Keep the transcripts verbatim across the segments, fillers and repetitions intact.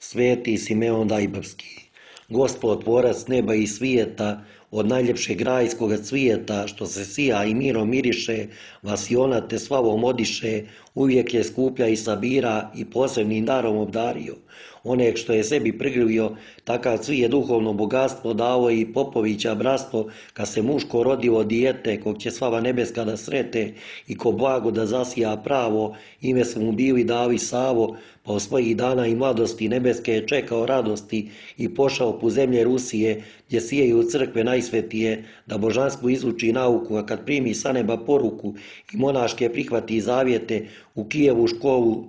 Sveti Simeon Dajbavski, Gospod tvorac neba i svijeta, od najljepšeg rajskoga cvijeta, što se sija i mirom miriše, vasiona te slavom odiše, uvijek je skuplja i sabira i posebnim darom obdario. Onek što je sebi prigrlio, takav cvije duhovno bogatstvo dao i Popovića bratstvo, kad se muško rodilo dijete, kog će slava nebeska da srete i ko blago da zasija pravo, ime su mu bili Davi Savo, pa od svojih dana i mladosti nebeske je čekao radosti i pošao po zemlje Rusije, gdje sijeju crkve najsvetije, da božansku izuči nauku, a kad primi sa neba poruku i monaške prihvati zavjete, u Kijevu školu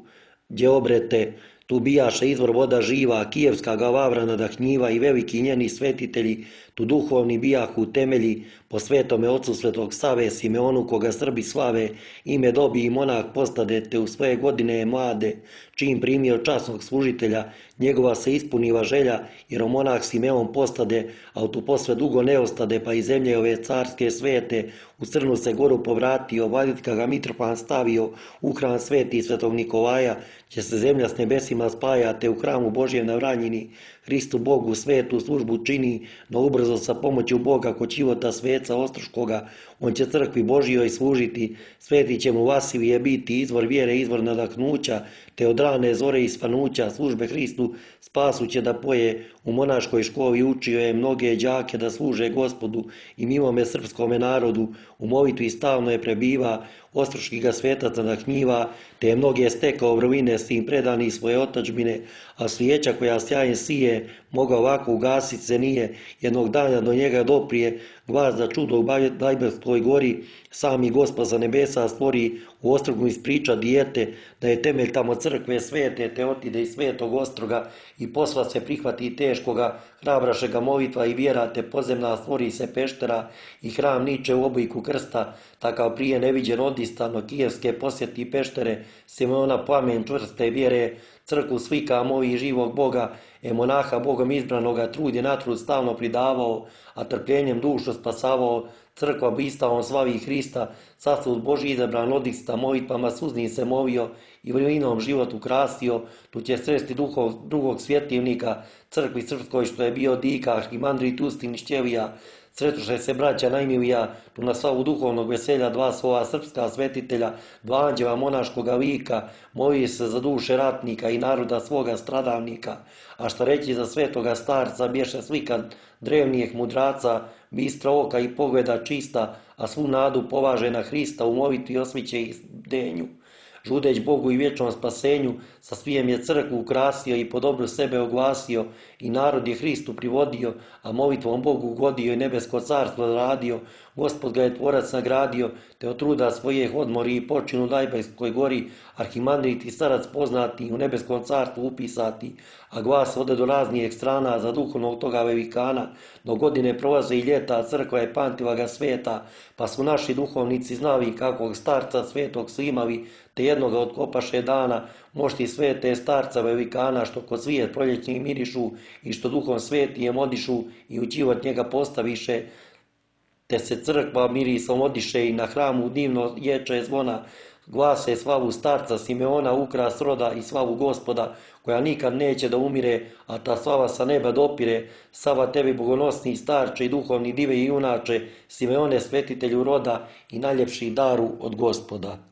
gdje obrete, tu bijaše izvor voda živa, kijevska ga lavra nadahnjiva i veliki njeni svetitelji, tu duhovni bijahu temelji, po svetome ocu svetog Save, Simeonu koga Srbi slave, ime dobi i monah postade, te u svoje godine je mlade, čim primio časnog služitelja, njegova se ispuniva želja, jer o monah Simeon postade, a tu posve dugo ne ostade, pa i zemlje ove carske svete, u Crnu se goru povratio, Valjetka ga Mitropan stavio, u hram sveti svetog Nikolaja, gdje se zemlja s nebesima spaja, te u hramu Božjem na Vranjini, Hristu Bogu svetu službu čini, no ubrzo sa pomoću Boga kod života sveca Ostroškoga, on će crkvi Božjoj služiti, sveti će mu Vasilije biti, izvor vjere, izvor nadahnuća, te od rane zore i svanuća službe Hristu spasu će da poje, u monaškoj školi učio je mnoge đake da služe Gospodu i milome srpskome narodu, u molitvi stalno je prebiva, Ostroški ga svetac nadahnjiva, te je mnoge stekao vrline s tim predani svoje otadžbine, a svijeća koja sjajen sije, mogao ovako ugasit se nije, jednog dana do njega doprije, glas za čudo u Dajbavskoj gori, sami Gospod za nebesa stvori, u Ostrogu ispriča dijete, da je temelj tamo crkve svete, te otide iz svetog Ostroga i posla se prihvati teškoga, hrabraše ga molitva i vjera, te pozemna stvori se peštera i hram niče u obliku krsta, takav prije neviđen odistano, kijevske posjeti peštere, Simeona plamen čvrste vjere, crkvu svika movi živog Boga, e monaha Bogom izbranoga trud je na trud stalno pridavao, a trpljenjem dušu spasavao, crkva bistavom slavi Hrista, sasud Božji izabran odista, molitvama suznim se molio i vrlinom život ukrasio, tu će sresti duhov, drugog svjetivnika, crkvi srpskoj što je bio dika, arhimandrit Ustin Šćevija, sretuše se braća najmilija, tu na slavu duhovnog veselja dva svoja srpska svetitelja, dva anđela monaškoga lika, molije se za duše ratnika i naroda svoga stradavnika, a šta reći za svetoga starca, bješe slika drevnijeg mudraca, bistra oka i pogleda čista, a svu nadu polaže na Hrista, u molitvi osmiće i denju. Žudeć Bogu i vječnom spasenju, sa svijem je crkvu ukrasio i po dobru sebe oglasio, i narod je Hristu privodio, a molitvom Bogu ugodio i nebesko carstvo radio. Gospod ga je tvorac nagradio, te od truda svoje odmori i počinu u Dajbavskoj gori, arhimandrit i starac poznati, u nebeskom carstvu upisati, a glas ode do raznijeg strana za duhovnog toga velikana, do godine prolaze i ljeta, crkva je pamtila ga sveta, pa su naši duhovnici znali kakvog starca svetog su imali, te jednoga otkopaše dana, mošti svete starca velikana, što kod svijet proljećnih mirišu i što duhom svetijem odišu i u život njega postaviše, te se crkva mirisom odiše i na hramu divno ječe zvona, glase slavu starca Simeona, ukras roda i slavu Gospoda, koja nikad neće da umire, a ta slava sa neba dopire. Slava tebi bogonosni starče i duhovni dive i junače, Simeone svetitelju roda i najljepši daru od Gospoda.